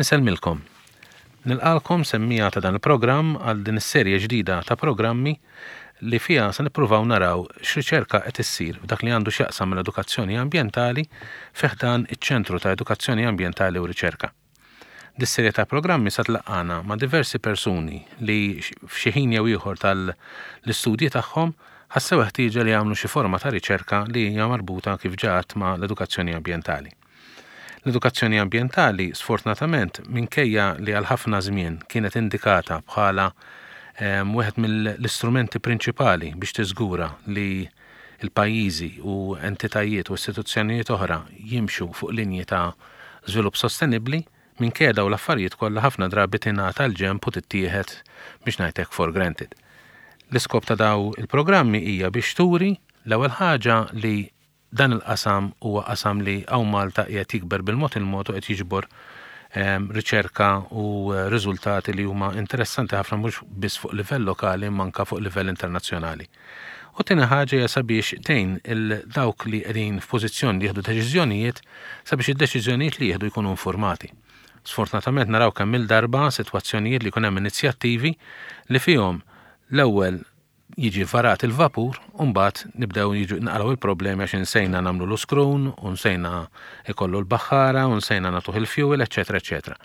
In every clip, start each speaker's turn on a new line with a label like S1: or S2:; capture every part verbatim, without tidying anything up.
S1: Insellmilkom. Nilqagħkom, semmiegħa ta' dan il-programm, għal din is-serje ġdida ta' programmi li fiha se nippruvaw naraw x'riċerka qed issir f'dak li għandu x'jaqsam mill-edukazzjoni ambjentali fi ħdan iċ-Ċentru ta' Edukazzjoni Ambjentali u Riċerka. Dis-serje ta' programmi sa tlaqqagħna ma' diversi persuni li f'xi ħin jew ieħor tal-istudji tagħhom ħassew ħtieġa li jagħmlu xi forma ta' riċerka li hija marbuta, kif ġat, ma' l-edukazzjoni ambjentali. L-edukazzjoni ambjentali, sfortunatament, minkejja li għal ħafna żmien kienet indikata bħala wieħed mill-istrumenti prinċipali biex tiżgura li il-pajjiżi u entitajiet u istituzzjonijiet oħra jimxu fuq linji ta' żvilupp sostenibbli, minkejja daw l-affarijiet kollha, ħafna drabi tingħata l-ġenb u tittieħed, biex ngħidlek, for granted. L-iskop ta' daw il-programmi hija biex turi l-ewwel ħaġa li dan il-qasam huwa qasam li hawn Malta qiegħed jikber bil-mod il-mod u qed jiġbor riċerka u riżultati li huma interessanti ħafna, mhux biss fuq livell lokali imma anke fuq livell internazzjonali. U tieni ħaġa hija sabiex tgħin il dawk li qegħdin f'pożizzjoni li jieħdu deċiżjonijiet sabiex id-deċiżjonijiet li jieħdu jkunu informati. Sfortunatament naraw kemm il-darba sitwazzjonijiet li jkun hemm inizjattivi li fihom l-ewwel jiġi varat il-vapur u mbagħad nibdew jiġu naqraw il-problemi għax insejna nagħmlu l-iskrun, u nsejna ikollu l-baħħara, u nsejna nagħtuh il-fuel, eċetera, eċetera.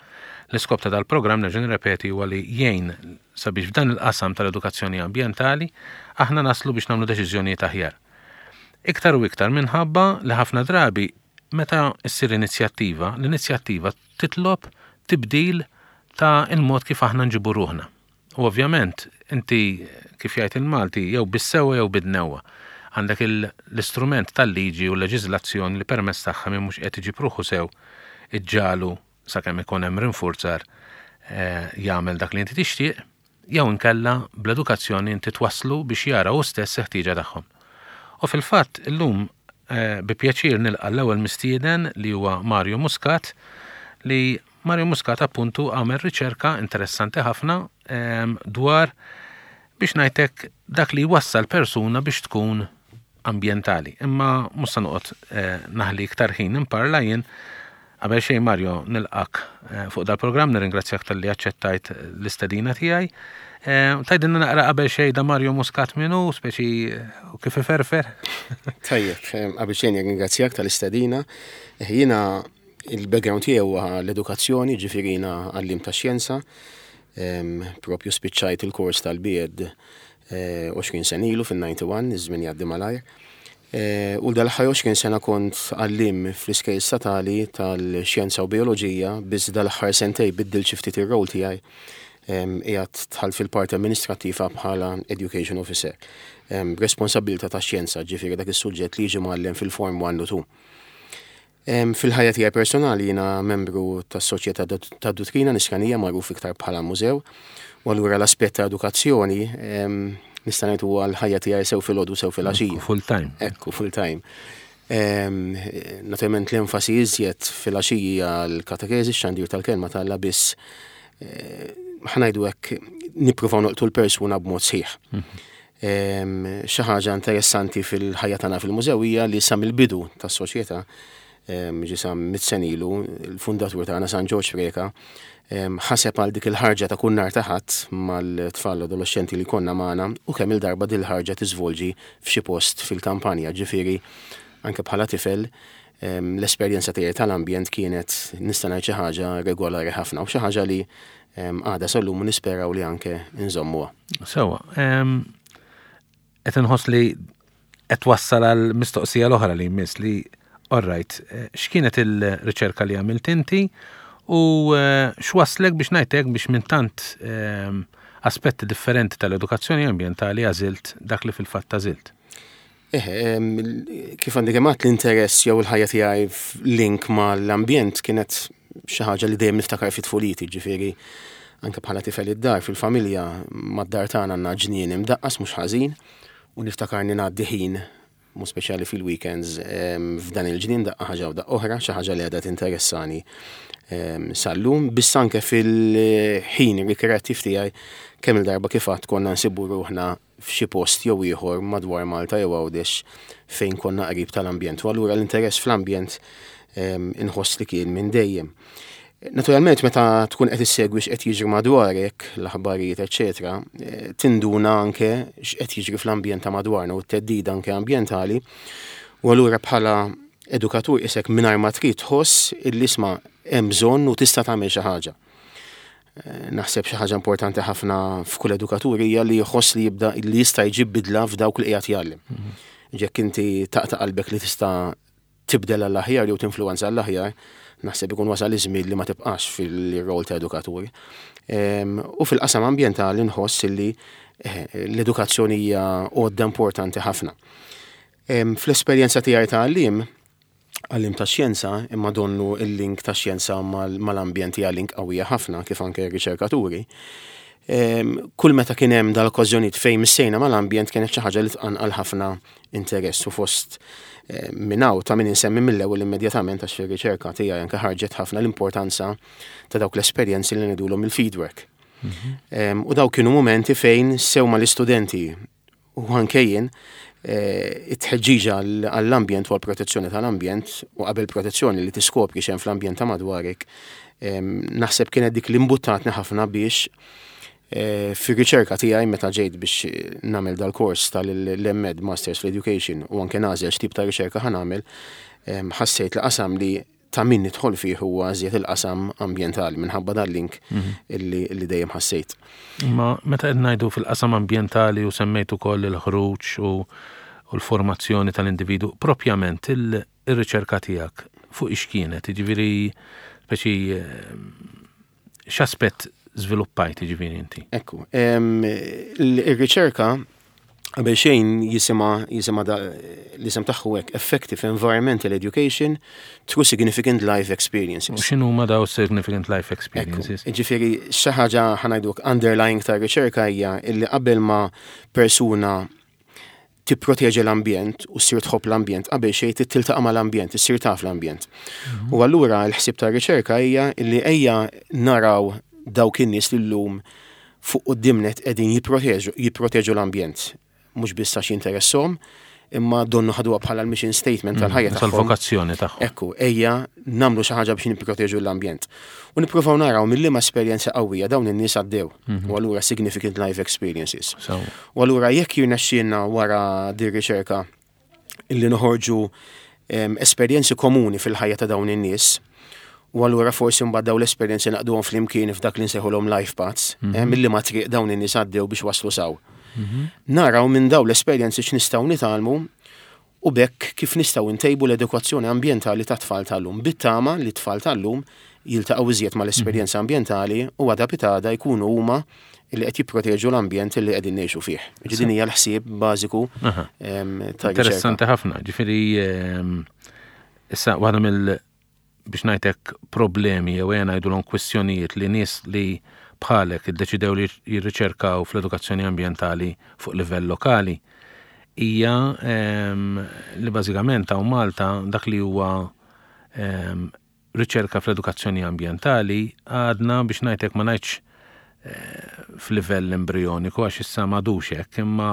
S1: L-iskop ta' dal-programm, nerġa' nirrepeti, huwa li jgħin sabiex f'dan il-qasam tal-edukazzjoni ambjentali aħna naslu biex nagħmlu deċiżjonijiet aħjar. Iktar u iktar minħabba li ħafna drabi meta ssir inizjattiva, l-inizjattiva titlob tibdil ta' il-mod kif aħna nġibu ruħna. U ovvjament, inti, kif jgħid il-Malti, jew bis-sewwa jew bid-dnewwa. Għandek l-istrument tal-liġi u l-leġiżlazzjoni li permezz tagħha min mhux qed iġib ruħu sew iġġagħlu, sakemm ikun hemm rinfurzar, eh, jagħmel dak li inti tixtieq, jew inkella bl-edukazzjoni inti twasslu biex jara hu stess ħtieġa tagħhom. U fil-fatt illum eh, bi pjaċir nilqa' l-ewwel mistieden, li huwa Mario Muscat, li Mario Muscat appuntu għamel riċerka interessanti ħafna dwar, biex ngħidlek, dak li wassal persuna biex tkun ambientali. Imma mhux se noqgħod eh, naħli iktar ħin imparla jien. Qabel xejn, Mario, nilqgħek eh, fuq dal-programm, nirringrazzjak talli aċċettajt l-istedina tiegħi. Eh, tgħidilna naqra qabel xejn da Mario Muscat min hu, speċi kif iferfer?
S2: Tajjeb, qabel xejn nirringrazzjak tal-istedina. Jiena il-background tiegħu huwa l-edukazzjoni, ġifieri jiena għalliem ta' xjenza. Propju spiċċajt il-kors tal-B Ed għoxrin sena ilu fil-disgħa u disgħin, iż-żmien jgħaddi malajr. Eh, u dal-aħħar għoxrin sena kont għalliem fl-iskejjel statali tal-xjenza u bioloġija, biss dal-aħħar sentejn biddilt xi ftit ir-rol tiegħi, qiegħed dħalt fil-parti amministrattiva bħala education officer. Responsabilità ta' xjenza, ġifieri dak is-suġġett li jiġi mgħallem fil-form one u two. Fil-ħajja tiegħi personali jiena membru tas-Soċjetà ta' Duttrina Nisranija, magħruf iktar bħala mużew, u allura l-aspett ta' edukazzjoni nista' ngħid huwa l-ħajja tiegħi, sew filgħodu sew filgħaxija.
S1: Full time.
S2: Ekku, full time. Naturalment l-enfasi iżjed filgħaxija għal katekezi, xandir tal-kelma t'Alla, biss eh, ħa ngħidu hekk, nippruvaw nolqtu l-persuna b'mod sħiħ. Mhm. Xi ħaġa interessanti fil-ħajja tagħna fil-mużew hija li sa mill-bidu tas-soċjetà, ġi sa mitt sena ilu, il-fundatur tagħna, San Ġorġ Preca, ħaseb għal dik il-ħarġa ta' kull nhar ta' Ħadd mal-tfal adolescenti li konna magħna, u kemm il-darba dil ħarġa tiżvolġi f'xi post fil-kampanja, ġifieri anke bħala tifel l-esperjenza tiegħi tal-ambjent kienet, nista' ngħid, xi ħaġa regolari ħafna u xi ħaġa li għadha sal-lum, nisperaw li anke nżommuha.
S1: Sewwa, qed inħoss li qed wassal għal mistoqsija l-oħra li jmiss li, all right, eh, x'kienet il-riċerka li għamilt inti u eh, x'waslek, biex ngħidlek, biex minn tant ehm, aspetti differenti tal-edukazzjoni ambjentali għażilt dak li fil-fatt għażilt?
S2: Eh, kif għandi kemat l-interess jew il-ħajja tiegħi link mal-ambjent kienet xi ħaġa li dejjem niftakar fit tfuliti, ġifieri anke bħala tifel id-dar fil-familja, mad-dar tagħna għandna ġnien imdaqqas mhux ħażin u niftakarni ngħaddi ħin mu speċjali fil-weekends f'dan il-ġnien, daqqa ħaġa u daqqa oħra, xi ħaġa li għadha tinteressani sal-lum, biss anke fil-ħin rikreattiv tiegħi kemm il-darba, kif għedt, konna nsibu ruħna f'xi post jew ieħor madwar Malta jew Għawdex fejn konna qrib tal-ambjent. U allura l-interess fl-ambjent inħoss li kien minn dejjem. Naturalment, meta tkun qed issegwi x'qed jiġri madwarek, l-aħbarijiet, eċetera, eh, tinduna anke x'qed jiġri fl-ambjent ta' madwarna u t-theddida anke ambjentali. U allura bħala edukatur isek mingħajr ma trid tħoss illi isma' hemm bżonn u tista' tagħmel xi ħaġa. Eh, naħseb xi ħaġa importanti ħafna f'kull edukatur hija li jħoss li jibda li jista' jġib bidla f'dawk li qiegħed jgħallem. Mhm. Jekk inti taqta' qalbek li tista' tibdel għall-aħjar jew tinfluwenza għall-aħjar, naħseb ikun wasal iż-żmien li ma tibqax fil-rol ta' edukatur. U fil-qasam ambjentali nħoss li eh, l-edukazzjoni hija għodda importanti ħafna. Fl-esperjenza tiegħi ta' għalliem, għalliem ta' xjenza, imma donnu il-link ta' xjenza mal-ambjent hija link qawwija ħafna, kif anke r-riċerkaturi. Kull meta kien hemm dal-okkażjonijiet fejn missejna mal-ambjent, kienet xi ħaġa li tqanqal ħafna interess u fost minn hawn ta' min insemmi mill-ewwel immedjatament, għax fir-riċerka tiegħi anke ħarġet ħafna, l-importanza ta' dawk l-esperjenzi li ngħidulhom il-fieldwork. Mhm. U dawk kienu momenti fejn sew mal-istudenti u anke jien eh, it-tħeġġiġa għall-ambjent u għall-protezzjoni tal-ambjent, u qabel protezzjoni li tiskopri x'hemm fl-ambjent ta' madwarek, naħseb kienet dik li imbuttatni ħafna biex Eh, fir-riċerka tiegħi, meta ġejt biex nagħmel dal-kors tal-M Ed, Masters Education, u anke nagħżel x'tip ta' riċerka ħa nagħmel, ħassejt li qasam li ta' min nidħol fih huwa żjed il-qasam ambjentali minħabba dal-link mhm. illi, illi dejjem ħassejt.
S1: Ma meta qed ngħidu fil-qasam ambjentali u semmejt ukoll il-ħruġ u, u l-formazzjoni tal-individu, propjament il-riċerka tiegħek fuq ix kienet, jiġifieri speċi x'aspett żviluppajt, jiġifieri, inti?
S2: Ekku, il-riċerka qabel xejn jisimha jisimha l-isem tagħhu hekk: Effective Environmental Education through Significant Life Experiences.
S1: U x'inhu ma daw Significant Life Experiences?
S2: Ġifieri xi ħaġa, ħa ngħiduk, underlying ta' riċerka hija illi qabel ma persuna tipproteġi l-ambjent u ssir tħobb l-ambjent, qabel xejn tiltaqa' mal-ambjent, issir taf l-ambjent. Mhm. U allura l-ħsieb ta' riċerka hija illi ejja naraw dawk in-nies li llum fuq quddiem nett qegħdin jipproteġu jipproteġu l-ambjent. Mhux biss għax jinteressahom, imma donnu ħaduha bħala l-mission statement mm, tal-ħajja
S1: tagħhom. Tal-vokazzjoni tagħhom.
S2: Ekku, ejja nagħmlu xi ħaġa biex nipproteġu l-ambjent. U nippruvaw naraw mill-liema esperjenza qawwija dawn in-nies għaddew. Mhm. U allura significant life experiences. U allura jekk jirnexxielna wara din riċerka illi noħorġu esperjenzi komuni fil-ħajja ta' dawn in-nies, u allura forsi mbagħad dawn l-esperjenzi nagħqduhom flimkien f'dak li nsejħulhom life paths, mm -hmm. milli ma triq dawn in-nies għaddew biex waslu s'hawn. Mm -hmm. Naraw minn dawn l-esperjenzi x'nistgħu nitgħallmu u b'hekk kif nistgħu ntejbu l-edukazzjoni ambjentali ta' tfal tal-lum. Bit-tama li tfal tal-lum jiltaqgħu iżjed mal-esperjenza mhm. ambjentali u għada pitgħada jkunu huma li qed jipproteġu l-ambjent li qegħdin ngħixu fih. Din hija l-ħsieb bażiku
S1: ta' Interessanti ħafna, ġifieri issa waħda mill, biex ngħidlek, problemi jew ejja ngħidulhom kwistjonijiet li nies li bħalek iddeċidew li jirriċerkaw fl-edukazzjoni ambjentali fuq livell lokali hija li bażikament hawn Malta dak li huwa riċerka fl-edukazzjoni ambjentali għadna, biex ngħidlek, ma ngħidx eh, f'livell embrioniku għax issa m'għadux hekk, imma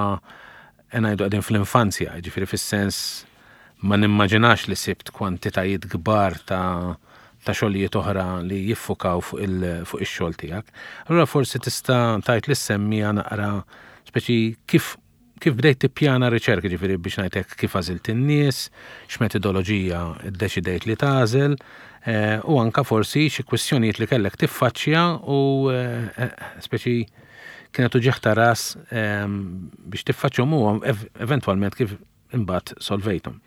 S1: ngħidu qegħdin fl-infanzja, ġifieri fis-sens ma nimmaġinax li sibt kwantitajiet kbar ta' ta' xogħlijiet oħra li jiffukaw fuq ix-xogħol tiegħek. Allura forsi tista' tgħid lis-semmiegħa naqra speċi kif kif bdejt tippjana riċerka, ġifieri biex ngħidlek kif għażilt in-nies, x'metodoloġija ddeċidejt li tagħżel, eh, u anka forsi xi kwistjonijiet li kellek tiffaċċja u eh, eh, speċi kienet uġigħ ta' ras biex tiffaċċjahom u eventwalment kif imbagħad solvejthom.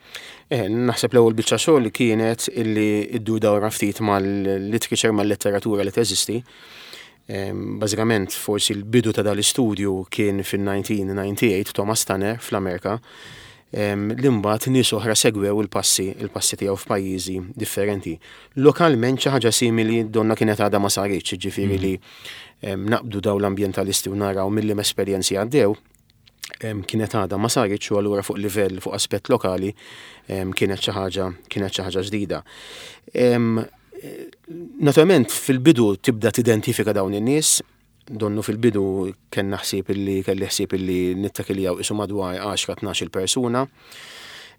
S2: Eh, naħseb l-ewwel biċċa xogħol kienet illi iddur dawra ftit mal-literature, mal-letteratura li teżisti. Bażikament forsi l-bidu ta' dal-istudju kien fil-elf disa' mija u disgħa u disgħin, Thomas Tanner fl-Amerika, li mbagħad nies oħra segwew il-passi il-passi tiegħu f'pajjiżi differenti. Lokalment xi ħaġa simili donna kienet għadha ma saritx, ġifieri mm. li naqbdu daw l-ambjentalisti u naraw mill esperjenzi għaddew kienet għadha ma saritx u allura fuq livell, fuq aspett lokali, kienet xi ħaġa kienet xi ħaġa ġdida. Naturalment fil-bidu tibda tidentifika dawn in-nies, donnu fil-bidu kellna ħsieb illi kelli ħsieb illi nittakiljaw isu madwar għaxra tnax-il persuna.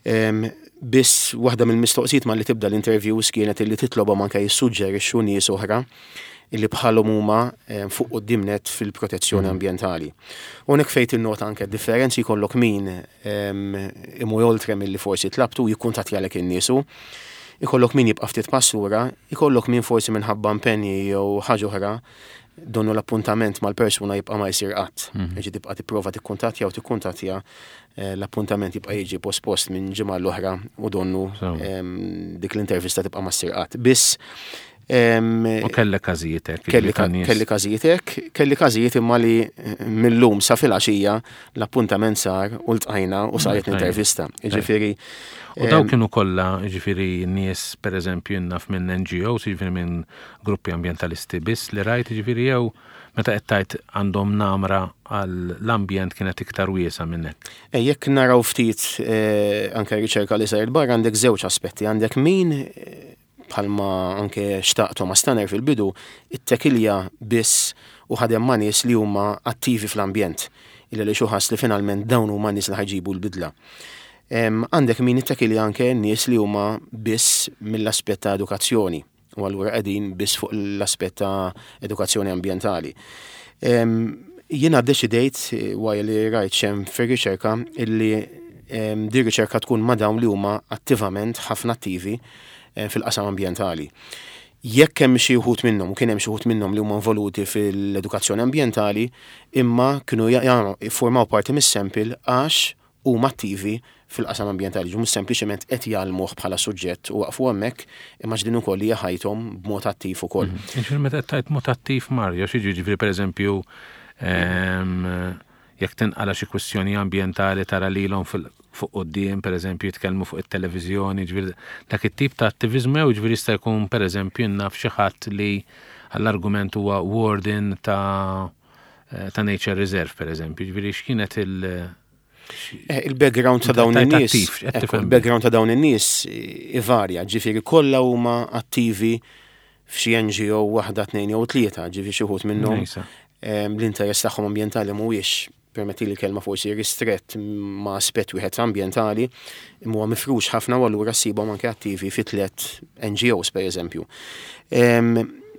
S2: Biss waħda mill-mistoqsijiet ma li tibda l-interviews kienet illi titlobhom anke jissuġġerixxu nies oħra illi bħalhom huma fuq quddiem net fil-protezzjoni mm. ambjentali. U hekk fejn tinnota anke differenzi, jkollok min imur oltre milli forsi tlabtu, jikkuntattjalek in-niesu, ikollok min jibqa' ftit pass lura, ikollok min forsi minħabba impenji jew ħaġa oħra donnu l-appuntament mal-persuna jibqa' ma jsir qatt. Mhm. Jiġi tibqa' tipprova tikkuntattja u tikkuntattja, eh, l-appuntament jibqa' jiġi pospost minn ġimgħa l-oħra u donnu dik l-intervista tibqa' ma ssir qatt. Biss
S1: U kellek każijiet hekk.
S2: Kelli każijiet hekk, kelli każijiet imma li eh, mill-lum sa filgħaxija l-appuntament sar u ltqajna u saret l-intervista. Jiġifieri.
S1: U daw kienu kollha, jiġifieri, nies, pereżempju naf, minn N G Os, jiġifieri minn gruppi ambjentalisti biss li rajt, jiġifieri, jew meta qed tgħid għandhom namra għall-ambjent kienet iktar wiesa minn hekk?
S2: Eh, jekk naraw ftit eh, anke riċerka li saret barra, għandek żewġ aspetti, għandek min, bħalma anke xtaq Thomas Tanner fil-bidu, ittekilja biss u ħadem ma' nies li huma attivi fl-ambjent. Illa li xuħas li finalment dawn huma nies li ħa jġibu l-bidla. Għandek min ittekilja anke nies li huma biss mill-aspett ta' edukazzjoni u allura qegħdin biss fuq l-aspett ta' edukazzjoni ambjentali. Jiena deċidejt, wara li rajt xem fir-riċerka, illi di riċerka tkun ma' dawn li huma attivament ħafna attivi Eh, fil-qasam ambjentali. Jekk hemm xi wħud minnhom, u kien hemm xi wħud minnhom li huma involuti fil-edukazzjoni ambjentali, imma kienu jiffurmaw parti mis-sample għax huma attivi fil-qasam ambjentali, mhux sempliċement qed jgħallmuh bħala suġġett u waqfu hemmhekk, imma din ukoll hija ħajthom b'mod attiv ukoll.
S1: Mhm. Jiġifieri meta qed tgħid mod attiv, Mario, xi jiġifieri, pereżempju, ehm, jekk tinqala xi kwistjoni ambjentali tara lilhom fuq quddiem, pereżempju jitkellmu fuq it-televiżjoni, ġifieri dak it-tip ta' attiviżmu, jew ġifieri jista' jkun, pereżempju naf, xi ħadd li għall-argument huwa warden ta' ta' Nature Reserve, pereżempju, ġifieri x'kienet il-
S2: eh, Il-background ta' dawn in-nies, il-background ta' dawn in-nies ivarja, ġifieri kollha huma attivi f'xi N G O waħda, tnejn jew tlieta, ġifieri xi wħud minnhom l-interess tagħhom ambjentali mhuwiex, permetti li kelma, forsi ristrett ma' aspett wieħed ambjentali, imma huwa mifrux ħafna u allura ssibhom anke attivi fi tliet N G Os, per eżempju.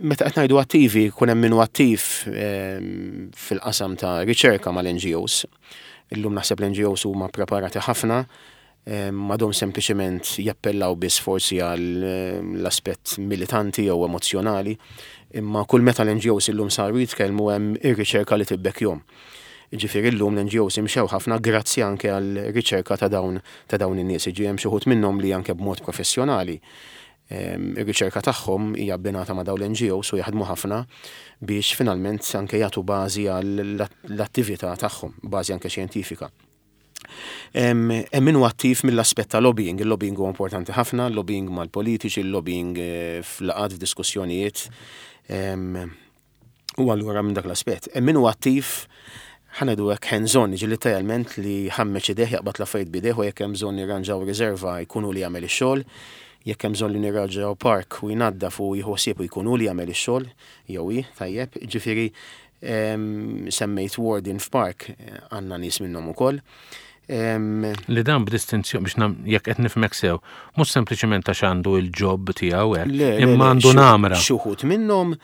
S2: Meta qed ngħidu attivi, kun hemm minnu attiv fil-qasam ta' riċerka mal-N G Os. Illum naħseb l-N G Os huma preparati ħafna, m'għadhomx sempliċement jappellaw biss forsi għal l-aspett militanti jew emozjonali, imma kull meta l-N G Os illum saru jitkellmu hemm ir-riċerka li tibbekkjahom. Ġifieri llum l-N G Os imxew ħafna grazzi anke għal riċerka ta' dawn ta' dawn in-nies. Ġi hemm xi wħud minnhom li anke b'mod professjonali ir-riċerka tagħhom hija abbinata ma' dawn l-N G Os u jaħdmu ħafna biex finalment anke jagħtu bażi għall-attività tagħhom, bażi anke xjentifika. Hemm min hu attiv mill-aspett ta' lobbying. Il-lobbying huwa importanti ħafna, lobbying mal-politiċi, il-lobbying eh, f'laqgħat, f'diskussjonijiet. U allura minn dak l-aspett. Hemm min hu attiv, ħa ngħidu hekk, hands-on, ġi literalment li ħammeċ idejh, jaqbad l-affarijiet b'idejh u jekk hemm bżonn nirranġaw riserva jkunu li jagħmel ix-xogħol, jekk hemm bżonn li nirranġaw park u jnaddaf u jieħu ħsieb u jkunu li jagħmel ix-xogħol jew hi, tajjeb, ġifieri semmejt warden f'park, għandna nies minnhom ukoll.
S1: Li dan b'distinzjoni biex jekk qed nifhmek sew, mhux sempliċement għax għandu il-job tiegħu hekk, imma għandu namra.
S2: Xi wħud minnhom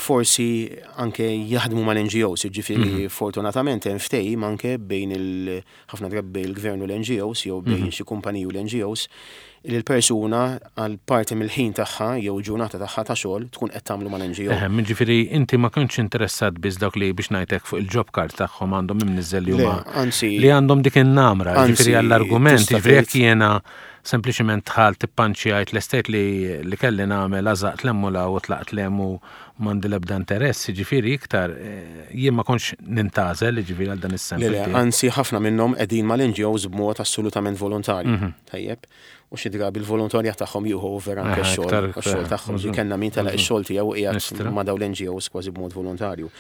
S2: forsi anke jaħdmu mal-N G Os, ġifieri mhm. fortunatament hemm ftehim anke bejn il ħafna drabi il-gvern u l-N G Os jew bejn mhm. xi kumpaniji u l-N G Os li l-persuna għal parti mill-ħin tagħha jew ġurnata tagħha ta' xogħol tkun qed tagħmlu mal-N G O.
S1: Eħe, ġifieri inti ma kontx interessat biss dawk li, biex ngħidlek, fuq il-job card tagħhom għandhom imniżżel li huma li għandhom dik in-namra, ġifieri għall-argument, ġifieri jekk jiena sempliċement dħalt, ippanċjajt, l-estate li li kelli nagħmel, għażaqt l-emmula u tlaqt lemu, m'għandi l-ebda interess, ġifieri iktar eh, jien ma kontx nintgħażel ġifieri għal dan is-sample.
S2: Anzi, ħafna minnhom qegħdin mal-N G Os b'mod assolutament volontarju. Mhm. Tajjeb. U xi drabi l-volontarja tagħhom jieħu over anke x-xogħol x-xogħol tagħhom. Ġi kellna min telaq ix-xogħol tiegħu qiegħed ma' dawn l-N G Os kważi b'mod volontarju.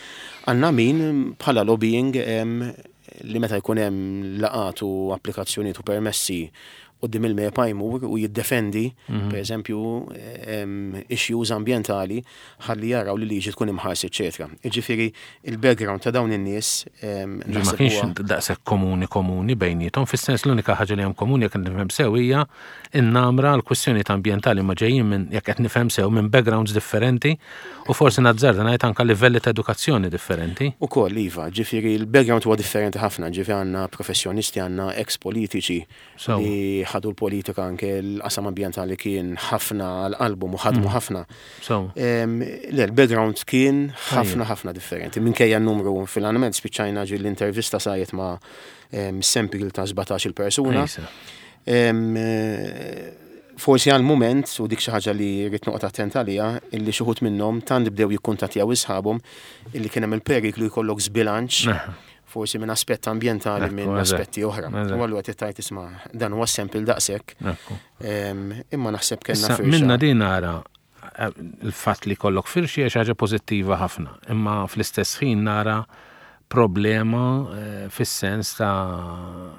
S2: Għandna min bħala lobbying, li meta jkun hemm laqgħat u applikazzjonijiet u permessi quddiem il-MEPA jmur u jiddefendi, mhm. per eżempju, issues ambientali ħalli jaraw li liġi tkun imħarsa, eċetera. Jiġifieri il-background ta' dawn in-nies
S1: ma kienx daqshekk komuni komuni bejniethom, fis-sens l-unika ħaġa li hemm komuni, jekk nifhem sew, hija n-namra l-kwistjonijiet ambjentali, ma ġejjin minn, jekk qed nifhem sew, minn backgrounds differenti u forsi nazzarda ngħid anke livelli ta' edukazzjoni differenti.
S2: Ukoll iva, ġifieri l-background huwa differenti ħafna, ġifieri għandna professjonisti, għandna ex-politiċi li ħadu l-politika, anke l-qasam ambjentali kien ħafna għal qalbhom u ħadmu mm. ħafna. Le, l-background kien ħafna ħafna differenti. Minkejja n-numru, fil-għanament spiċċajna ġi l-intervista sajet ma' sample ta' sbatax-il persuna. Forsi għal moment, u dik xi ħaġa li rrid noqgħod attent għaliha, illi xi wħud minnhom tant bdew jikkuntattjaw isħabhom illi kien hemm il-periklu jkollok żbilanċ forsi minn aspett ambjentali minn aspetti oħra. U allura tgħid, isma', dan huwa sample daqshekk. Imma naħseb kellna
S1: firxa. Minna din nara eh, il-fatt li kollok firxi hija xi ħaġa pożittiva ħafna, imma fl-istess ħin nara problema eh, fis-sens ta'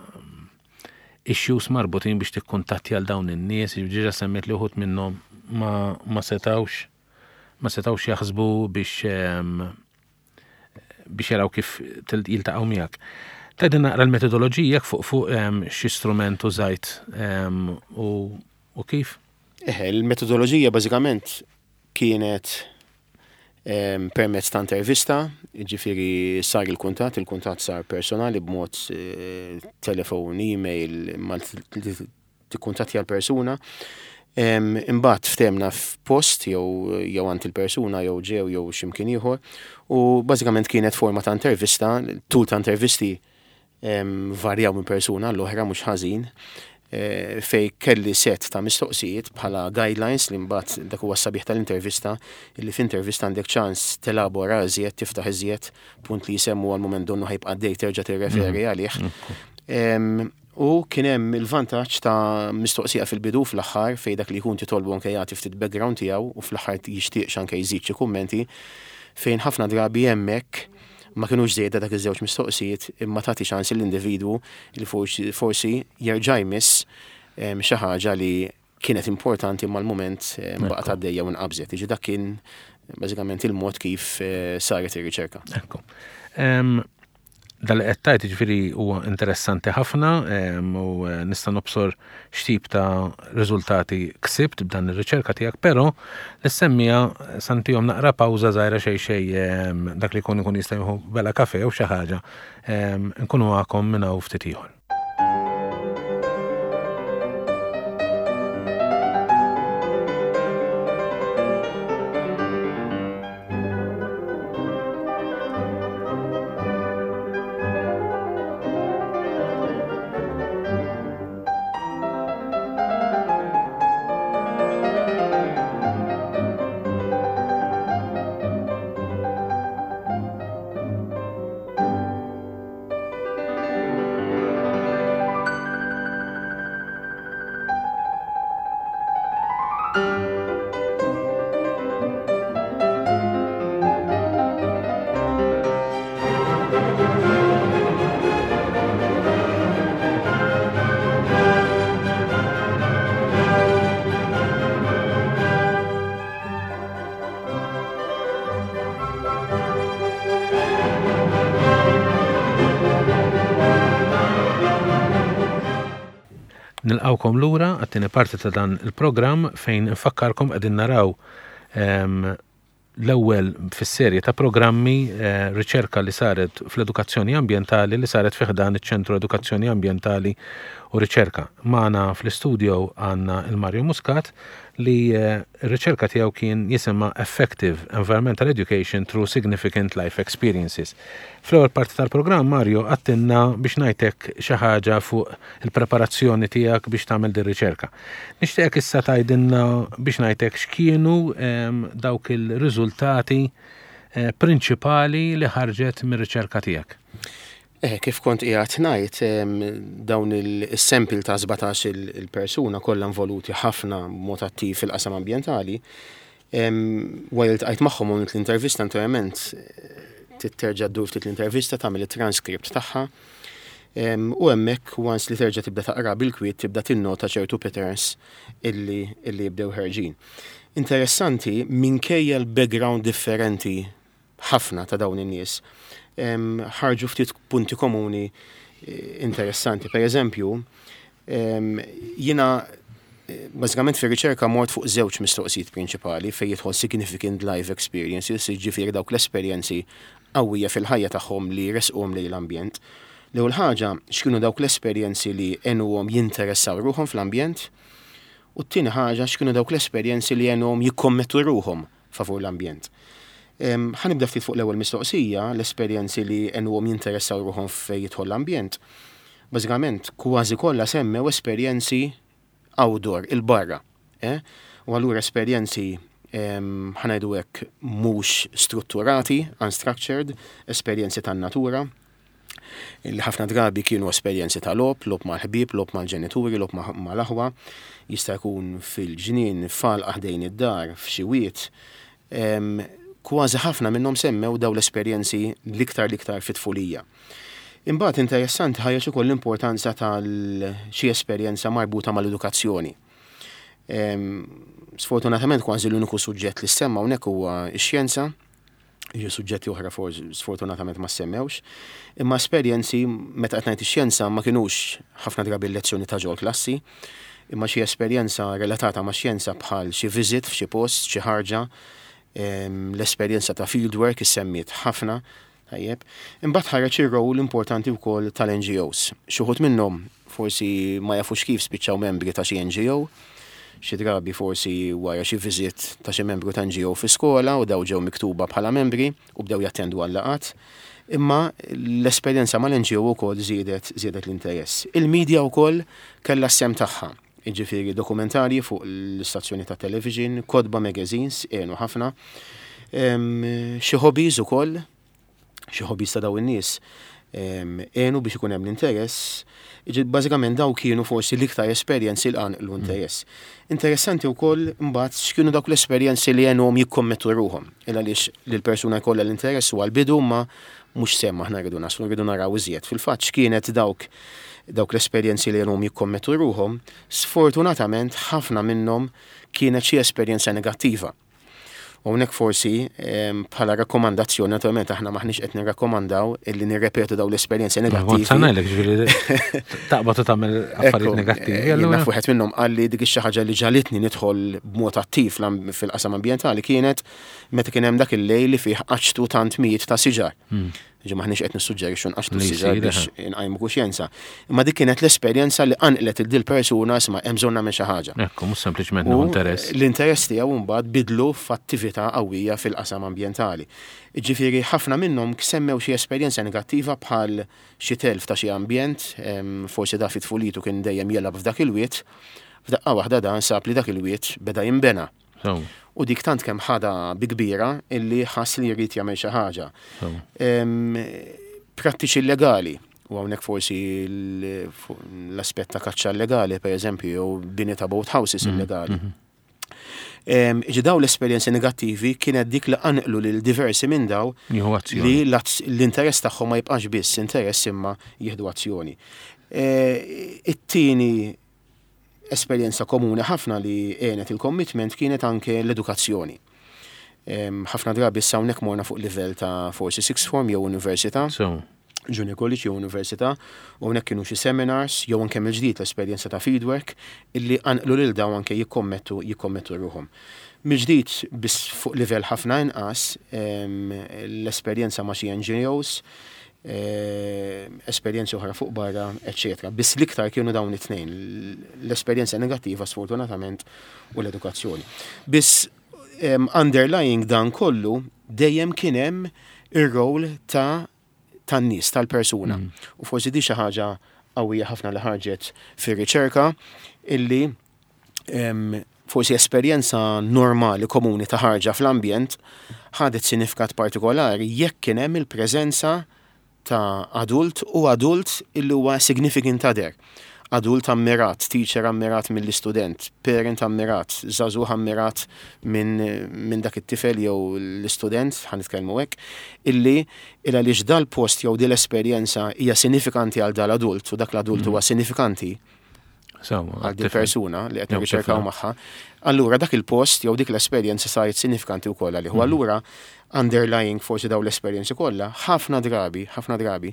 S1: issues marbutin biex tikkuntattja għal dawn in-nies, ġiġa semmiet li uħud minnhom ma, ma setawx ma setawx jaħsbu biex biex jaraw kif jiltaqgħu miegħek. Tgħidilna naqra l-metodoloġija fuq fuq xi strument użajt u kif?
S2: Eħe, il-metodoloġija bażikament kienet permezz ta' intervista, ġifieri sar il-kuntatt, il-kuntatt sar personali b'mod eh, telefon, email, ma tikkuntattja l-persuna. Imbagħad ftehemna f'post jew jew għand il-persuna jew ġew jew x'imkien ieħor u bażikament kienet forma ta' intervista, tul ta' intervisti varjaw minn persuna l-oħra mhux ħażin, eh, fej kelli set ta' mistoqsijiet bħala guidelines li mbagħad dak huwa sabiħ tal-intervista, illi f'intervista għandek ċans telabora iżjed, tiftaħ iżjed, punt li jisemmu għal moment donnu ħa jibqa' dej terġa' tirreferi mhm. għalih. U kien hemm il-vantaġġ ta' mistoqsija fil-bidu, fl-aħħar, fej dak li jkun titolbu anke jagħti ftit background tiegħu u fl-aħħar jixtieq anke jżid xi kummenti, fejn ħafna drabi hemmhekk ma kienux żejda dak iż-żewġ mistoqsijiet, imma tagħti ċans l-individwu li forsi jerġa' jmiss xi ħaġa li kienet importanti imma l-mument baqgħet għaddejja u nqabżet. Iġi dak kien bażikament il-mod kif eh, saret ir-riċerka.
S1: Ekku. Dal qed tgħid, ġifieri, huwa interessanti ħafna u eh, nista' nobsor x'tip ta' riżultati ksibt b'dan ir-riċerka tiegħek, però nissemmija santihom naqra pawża żgħira xejn xejn, dak li jkun ikun jista' jieħu bela kafe jew xi ħaġa, nkunu magħkom minn hawn ftit ieħor. Nilqawkom lura għat-tieni parti ta' dan il-programm fejn nfakkarkom qegħdin naraw l-ewwel fis-serje ta' programmi eh, riċerka li saret fl-edukazzjoni ambjentali li saret fi ħdan iċ-Ċentru Edukazzjoni Ambjentali u Riċerka. Magħna fl-istudio għandna il-Mario Muscat li eh, r-riċerka tiegħu kien jisimha Effective Environmental Education Through Significant Life Experiences. Fl-ewwel parti tal-programm, Mario, għedtilna biex ngħidlek xi ħaġa fuq il-preparazzjoni tiegħek biex tagħmel din riċerka. Nixtieqek issa tgħidilna biex ngħidlek x'kienu dawk il-riżultati eh, prinċipali li ħarġet mir-riċerka tiegħek.
S2: Eh, kif kont qiegħed ngħid, dawn il-sample ta' sbatax il-persuna kollha involuti ħafna b'mod attiv fil-qasam ambjentali, wara li ltqajt magħhom u l-intervista, naturalment titterġa' ddur ftit l-intervista, tagħmel it-transkript tagħha. U hemmhekk, once li terġa' tibda taqra bil-kwiet, tibda tinnota ċertu patterns illi, illi jibdew ħerġin. Interessanti, minkejja l-background differenti ħafna ta' dawn in-nies, ħarġu ftit punti komuni eh, interessanti. Per eżempju, jiena eh, bażikament fir-riċerka mort fuq żewġ mistoqsijiet prinċipali fejn jidħol significant life experiences, jiġifieri dawk l-esperjenzi qawwija fil-ħajja tagħhom li resquhom lejn l-ambjent. L-ewwel ħaġa, x'kienu dawk l-esperjenzi li għenuhom jinteressaw ruħhom fl-ambjent, u t-tieni ħaġa, x'kienu dawk l-esperjenzi li għenuhom jikkommettu ruħhom favur l-ambjent. Ħa nibda ftit fuq l-ewwel mistoqsija, l-esperjenzi li għenuhom jinteressaw ruħhom fejn jidħol l-ambjent. Bażikament, kważi kollha semmew esperjenzi outdoor, il-barra. Eh? U allura esperjenzi, ħa ngħidu hekk, mhux strutturati, unstructured, esperjenzi tan-natura, li ħafna drabi kienu esperjenzi ta' logħob, logħob mal-ħbieb, logħob mal-ġenituri, logħob mal-aħwa, jista' jkun fil-ġnien, f'għalqa ħdejn id-dar, f'xi wied. Kważi ħafna minnhom semmew daw l-esperjenzi l-iktar l-iktar fit-tfulija. Imbagħad interessanti, ħareġ ukoll l-importanza tal xi esperjenza marbuta mal-edukazzjoni. Sfortunatament kważi l-uniku suġġett li semma hawnhekk huwa x-xjenza, jiġu suġġetti oħra sfortunatament ma semmewx, imma esperjenzi, meta qed ngħid ix-xjenza, ma kinux ħafna drabi lezzjoni ta' ġol klassi, imma xi esperjenza relatata ma' xjenza bħal xi visit f'xi post, xi ħarġa, l-esperjenza ta' fieldwork issemmiet ħafna. Tajjeb. Imbagħad ħareġ ir-rol importanti wkoll tal-N G Os. Xi wħud minnhom forsi ma jafux kif spiċċaw membri ta' xi N G O, xi drabi forsi wara xi visit ta' xi membru ta' N G O fi skola u daw ġew miktuba bħala membri u bdew jattendu għal laqat. Imma l-esperjenza mal-N G O wkoll żiedet żiedet l-interess. Il-medja wkoll kellha s-sehem tagħha. Jiġifieri dokumentarji fuq l-istazzjoni ta' television, kotba, magazines, għenu ħafna. Xi hobbies ukoll, xi hobbies ta' daw in-nies għenu biex ikun hemm l-interess. Bażikament daw kienu forsi l-iktar esperjenzi li qanqlu interess. Interessanti wkoll imbagħad x'kienu dawk l-esperjenzi li għenuhom jikkommettu ruħhom. Il għaliex li l-persuna jkollha l-interess huwa l-bidu, ma mhux semma aħna rridu naslu, rridu naraw iżjed. Fil-fatt, x'kienet dawk dawk l-esperjenzi li għenuhom jikkommettu ruħhom? Sfortunatament ħafna minnhom kienet xi esperjenza negattiva. U hawnhekk forsi bħala rakkomandazzjoni, naturalment aħna maħniex qed nirrakkomandaw illi nirrepetu daw l-esperjenzi negattivi.
S1: Sanajlek, ġifieri taqbad u tagħmel affarijiet negattivi.
S2: Jien naf wieħed minnhom qal li dik xi ħaġa li ġagħlitni nidħol b'mod attiv fil-qasam ambjentali kienet meta kien hemm dak il-lejl li fih qaċtu tant mijiet ta' siġar. Hmm. Ġi maħniex qed nissuġġerixxu nqaċtu siġar biex nqajmu kuxjenza. Imma dik kienet l-esperjenza li qanqlet il dil persuna, isma', hemm bżonn nagħmel xi ħaġa.
S1: Ekku, mhux sempliċement interess.
S2: L-interess tiegħu mbagħad bidlu f'attività qawwija fil-qasam ambjentali. Ġifieri ħafna minnhom semmew xi esperjenza negattiva bħal xi telf ta' xi ambjent, forsi da fit-tfulitu kien dejjem jilgħab f'dak il-wied, f'daqqa waħda dan sab li dak il-wied beda jinbena. U dik tant kemm ħada bi kbira illi ħass li jrid jagħmel xi ħaġa. Prattiċi illegali, u hawnhekk forsi l-aspett ta' kaċċa illegali, per eżempju, jew bini ta' boat houses mm, illegali. Mhm. Ġi daw l-esperjenzi negattivi kienet dik li qanqlu lil diversi minn daw li l-interess tagħhom ma jibqax biss interess imma jieħdu azzjoni. E, it-tieni esperjenza komuni ħafna li għenet il-commitment kienet anke l-edukazzjoni. Ħafna drabi issa hawnhekk morna fuq livell ta' forsi sixth form jew università. Junior college jew università, u hawnhekk kienu xi seminars jew anke mill-ġdid l-esperjenza ta' fieldwork illi qanqlu lil dawn anke jikkommettu jikkommettu ruħhom. Mill-ġdid, biss fuq livell ħafna inqas, l-esperjenza ma' xi N G Os, esperjenzi oħra fuq barra, eċċetera. Biss l-iktar kienu dawn it-tnejn, l-esperjenza negattiva sfortunatament u l-edukazzjoni. Biss underlying dan kollu dejjem kien hemm ir-rol ta' tan-nies, tal-persuna. Mm. U forsi di xi ħaġa qawwija ħafna li ħarġet fir-riċerka, illi forsi esperjenza normali komuni ta' ħarġa fl-ambjent ħadet sinifikat partikolari jekk kien hemm il-preżenza ta' adult u adult illi huwa significant other. Adult ammirat, teacher ammirat mill-istudent, parent ammirat, żagħżugħ ammirat minn min dak it-tifel jew l-istudent, ħa nitkellmu hekk, illi il għaliex dal-post jew dil esperjenza hija sinifikanti għal dal-adult u dak l-adult huwa sinifikanti għal di persuna li qed nirriċerkaw magħha, allura dak il-post jew dik l-esperjenza saret sinifikanti wkoll għalih. U allura underlying forsi daw l-esperjenzi kollha, ħafna drabi, ħafna drabi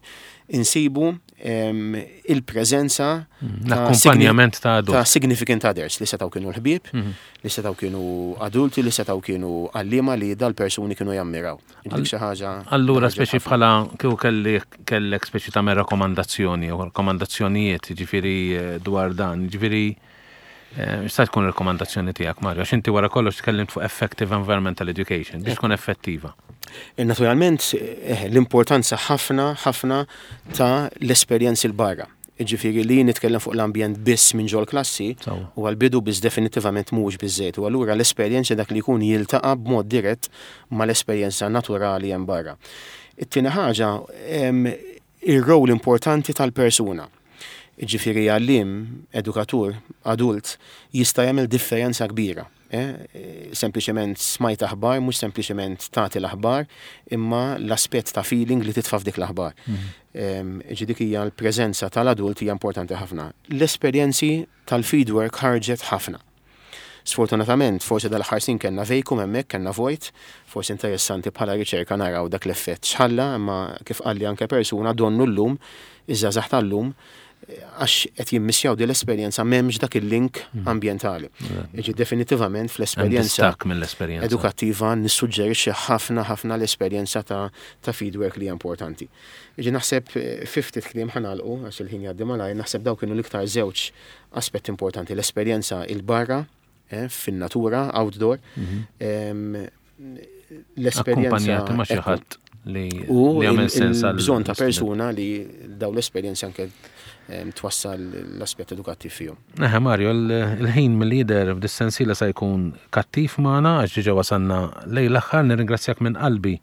S2: insibu il-preżenza
S1: l-akkumpanjament ta'
S2: ta' significant others li setgħu kienu l-ħbieb, li setgħu kienu adulti, li setgħu kienu għalliema li dal-persuni kienu jammiraw. Dik xi ħaġa.
S1: Allura speċi bħala kieku kelli kellek speċi ta' rakkomandazzjoni u rakkomandazzjonijiet, ġifieri eh, dwar dan, ġifieri x'sta tkun rekomandazzjoni tiegħek, Mario? Għax inti wara kollox tkellimt fuq effective environmental education biex tkun effettiva.
S2: Naturalment, eh, l-importanza ħafna ħafna ta' l-esperjenzi 'l barra. Ġifieri li nitkellem fuq l-ambjent biss minn ġol klassi u għal-bidu biss definitivament mhux biżejjed. U allura l-esperjenza dak li jkun jiltaqa' b'mod dirett mal-esperjenza naturali hemm barra. It-tieni ħaġa, ir-rol importanti tal-persuna. Ġifieri għalliem, edukatur, adult, jista' jagħmel differenza kbira. Eh? Sempliċement smajt aħbar, mhux sempliċement tagħti l-aħbar, imma l-aspett ta' feeling li titfa' f'dik l-aħbar. Mhm. Ġi dik hija l-preżenza tal-adult hija importanti ħafna. L-esperjenzi tal-fieldwork ħarġet ħafna. Sfortunatament, forsi dal-aħħar snin kellna vacuum hemmhekk, kellna vojt, forsi interessanti bħala riċerka naraw dak l-effett x'ħalla, imma kif qalli anke persuna, donnu llum, iż-żgħażagħ tal-lum, għax qed jimmissjaw din l-esperjenza, m'hemmx dak il-link mm. ambjentali. Iġi definitivament fl-esperjenza edukattiva nissuġġerixxi ħafna ħafna l-esperjenza ta' ta' fieldwork li hija importanti. Iġi naħseb eh, fifty kliem ħa nagħlqu għax il-ħin jgħaddi malajr, naħseb daw kienu l-iktar żewġ aspetti importanti: l-esperjenza 'il barra eh, fin-natura, outdoor, mhm.
S1: l-esperjenza ma' xi ħadd li
S2: u jagħmel sens bżonn ta' persuna li daw l-esperjenza anke twassal l-aspett edukattiv fihom.
S1: Eħe Mario, il-ħin mill-lider f'dis-sensiela se jkun kattiv magħna għax diġà wasalna lejn l-aħħar. Nirringrazzjak minn qalbi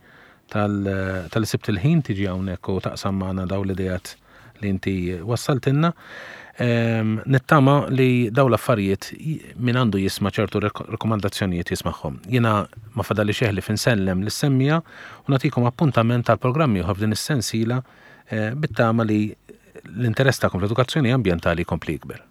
S1: talli sibt il-ħin tiġi hawnhekk u taqsam magħna daw l-idejat li inti wassaltilna. Nittama li daw l-affarijiet min għandu jisma' ċertu rekomandazzjonijiet jismagħhom. Jiena ma fadalli xejn ħlief insellem lis-semmiegħa u nagħtikom appuntament tal-programmi oħra f'din is-sensiela eh, bit-tama li l-interess tagħkom fl-edukazzjoni ambjentali jkompli jikber.